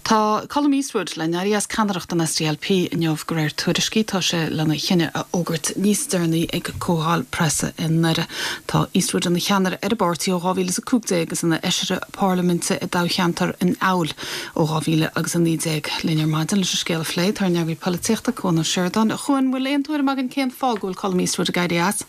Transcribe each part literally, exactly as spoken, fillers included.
Tá Colum Eastwood le n-éirí as ceannaireacht an SDLP inniu de réir tuairiscí tá sé lena chinneadh a fhógairt níos deireanaí ag comhdháil preasa i nDoire. Tá Eastwood ina cheannaire ar an bpáirtí ó dhá mhíle is a cúig déag agus ina fheisire parlaiminte i dtoghcheantar an Fheabhail ó dhá mhíle agus a naoi déag. Linn ar maidin leis an scéal a phlé tá ár n-eagraí polaitíochta Cuan Ó Seireadáin. A Chuain bhfuil aon tuairim againn cén fáth go bhfuil Colum Eastwood ag éirí as.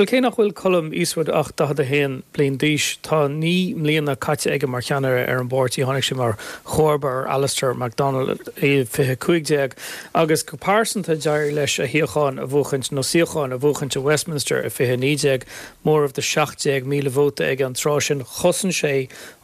Well cé nach bhfuil Colum Eastwood ach daichead a haon bliain d'aois tá naoi mbliana caite aige mar cheannaire ar an bpáirtí tháinig sé mar chomharba ar Alistair MacDonald i fiche cúig déag agus go pearsanta d'éirigh leis a shuíochán a bhuachaint nó suíochán a bhuachaint i Westminster i fiche naoi déag móramh de seacht déag míle vóta ag an tráth sin chosain sé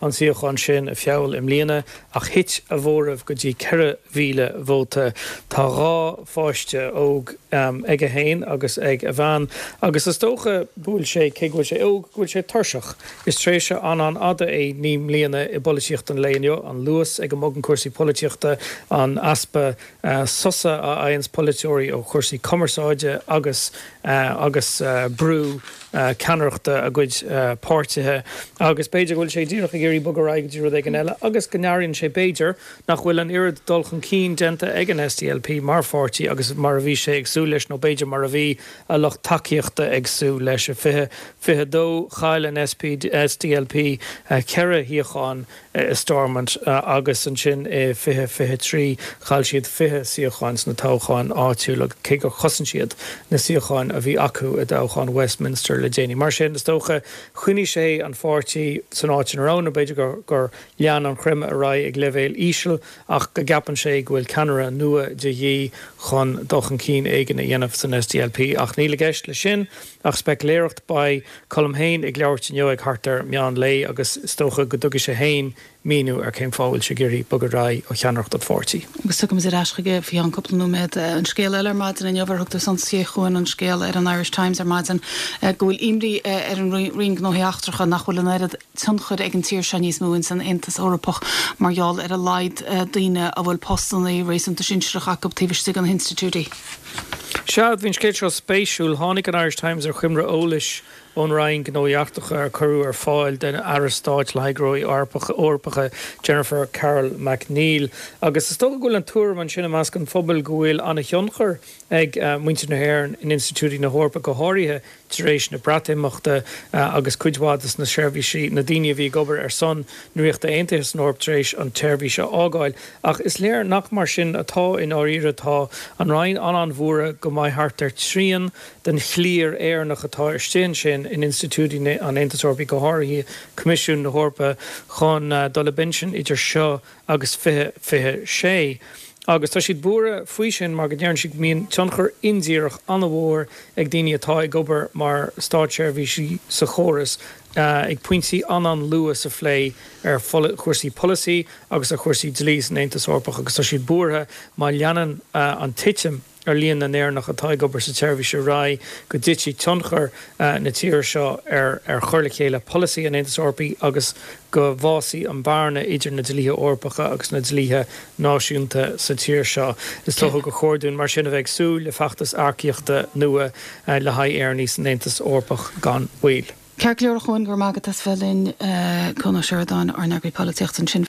an suíochán sin i Feabhal i mbliana ach thit a mhóramh go dtí ceithre mhíle vóta tá dhá pháiste óg um, aige féin agus ag a bhean agus is dócha go bhfuil sé cé go bhfuil sé óg go bhfuil sé tuirseach. Is tréimhse an-an-fhada é naoi mbliana i bpolaitíocht an lae inniu an luas ag a mbogann cúrsaí polaitíochta an easpa uh, sosa a fhaigheanns polaiteoirí ó chúrsaí cumarsáide agus uh, agus uh, brú uh, ceannaireachta a gcuid uh, páirtithe agus b'fhéidir go bhfuil sé díreach ag iarraidh bogadh ar aghaidh go dtí rud éigin eile agus go n-airíonn sé b'fhéidir nach bhfuil an oiread dul chun cinn déanta ag an SDLP mar pháirtí agus mar a bhí sé ag súil leis nó b'fhéidir mar a bhí a lucht tacaíochta ag súil leis i fiche fiche dó chaill an SP SDLP uh, ceithre shuíochán uh, i Stormont uh, agus ansin i fiche fiche trí chaill siad fiche suíochán sna toghcháin áitiúla cé gur chosain siad na suíocháin a bhí acu i dtoghchán Westminster le déanaí. Mar sin is dócha choinnigh sé an pháirtí san áit ina raibh b'fhéidir gur gur lean an creimeadh ar aghaidh ag leibhéal íseal ach go gceapann sé go bhfuil ceannaire nua de dhíth chun dul chun cinn éigin a dhéanamh san SDLP ach níl i gceist leis sin ach speiculéireacht beidh Colum féin ag labhairt inniu ag thart ar meán lae agus is dócha go dtabharfaidh sé féin míniú ar cén fáth a bhfuil sé ag iarraidh bogadh ar aghaidh ó cheannaireacht an pháirtí. Agus tugaim ar ais chuige faoi cheann cúpla nóiméad an scéal eile ar maidin inniu ar thug tú suntas a Chuain an scéal ar an Irish Times ar maidin go bhfuil imní ar an Roinn Gnóthaí Eachtracha nach bhfuil an oiread tionchar ag an tír seo níos mó in san Aontas Eorpach mar gheall ar a laghad daoine a bhfuil postanna réasúnta sinsearach acu taobh istigh de na hinstitiúidí. Sea bhí an scéal seo spéisiúil tháinig an Irish Times ar choimre eolais ón Roinn Gnóthaí Eachtracha ar cuireadh ar fáil den Aire Stáit le Gnóthaí Eorpacha Jennifer Carroll MacNeill. agus is dócha go bhfuil an tuairim ansin i measc an phobail go bhfuil an-tionchar ag uh, muintir na hÉireann in institiúidí na hEorpa go háirithe tar éis na Breatimeachta uh, agus cuid mhaith de na seirbhísí na daoine a bhí ag obair ar son na Ríochta Aontaithe san Eoraip tar éis an tseirbhís a fhágáil. Ach is léir nach mar sin atá i ndáiríre tá an Roinn an-an-bhuartha go mbeidh thart ar trian den chliar Éireannach atá istigh ansin in institiúidí an Aontais Eorpaigh go háirithe Coimisiún na hEorpa chun uh, dul i bpinsean idir seo agus fiche fiche sé. Agus tá siad buartha faoi sin mar go ndéarann siad mbíonn tionchar indíreach an-mhór ag daoine atá ag obair mar státseirbhísigh sa chóras uh, ag pointí an-an-luath sa phlé ar chúrsaí polasaí agus ar chúrsaí dlí san Aontas Eorpach agus tá siad buartha má leanann uh, an titim ar líon na nÉireannach atá ag obair sa tseirbhís ar aghaidh go dtitfidh tionchar uh, na tíre seo ar ar chur le chéile polasaí an Aontais Eorpaigh agus go bhfásfaidh an bhearna idir na dlíthe Eorpacha agus na dlíthe náisiúnta sa tír seo. Is dócha gur chóir dúinn mar sin a bheith ag súil le feachtas earcaíochta nua uh, le haghaidh Éireannaigh san Aontas Eorpach gan mhoill. Ceart go leor a Chuain go maith as bheith linn Cuan Ó Seireadáin ár n-eagraí polaitíochta ansin.